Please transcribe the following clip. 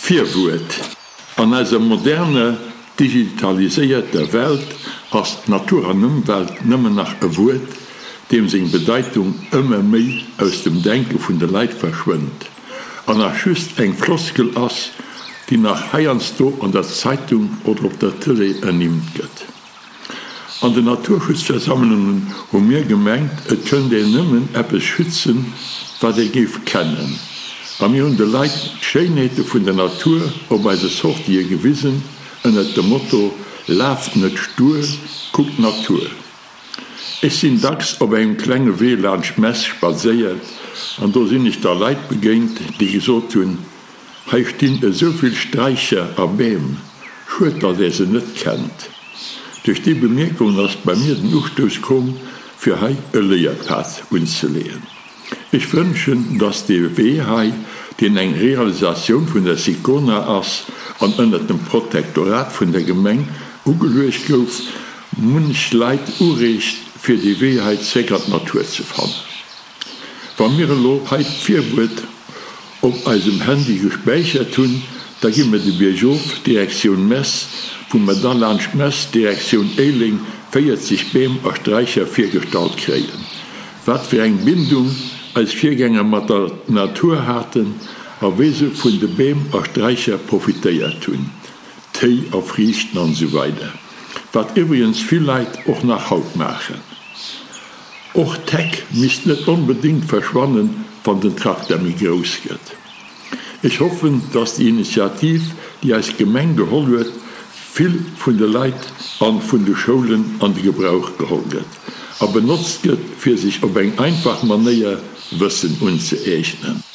Virwuert An eiser moderner, digitaliséierter Welt ass Natur an Ëmwelt nëmmen nach e Wuert, deem seng Bedeitung ëmmer méi aus dem Denke vun de Leit verschwënnt an nach just eng Floskel ass, déi nach heiansdo an der Zeitung oder op der Tëlee ernimmt gëtt. An den Naturschutzversammlungen hu mir gemengt, et kënnt een nëmmen eppes schützen, wat ee géif kennen. A mir hunn de Leit d'Schéinheete vun der Natur op eise Sortië gewisen, ënnert dem Motto, Laaft net stuer, kuckt d'Natur. Ech sinn dacks op engem klenge Wee laanscht d'Mess spadséiert an do sinn ech da Leit begéint, déi gesot hunn, Hei stinn esou vill Straicher a Beem, schued datt är se net kennt. Duerch déi Bemierkungen ass bei mir den Ustouss komm fir hei e Léierpad unzeleeën. Ech wënschen datt dee Wee hei, deen eng Realisatioun vun der Sicona ass an ënnert dem Protektorat vun der Gemeng ugeluecht gouf, munch Leit ureegt fir dee Wee hei zréck an d'Natur ze fannen. Wa mir elo hei d'Virwuert op eisem Handy gespäichert hunn, da gi mir de Biergof Direktioun Mess, wou mer da laanscht Mess Direktioun Éiléng 40 Beem a Straicher virgestallt kréien. Wat fir eng Bindung eis Virgänger mat der Natur haten a wéi se vun de Beem a Straicher profitéiert hunn, Téi a Friichten an esou weider Wat iwwregens vill Leit och nach haut maachen. Och d'Heck misst net onbedéngt verschwannen, wann den Trakter méi grouss gëtt. Ech hoffen, dass déi Initiativ, déi eis Gemeng geholl huet, vill vun de Leit an vun de Schoulen an de Gebrauch geholl gëtt a benotzt gëtt, fir sech op eng einfach Manéier Wëssen unzëeegnen.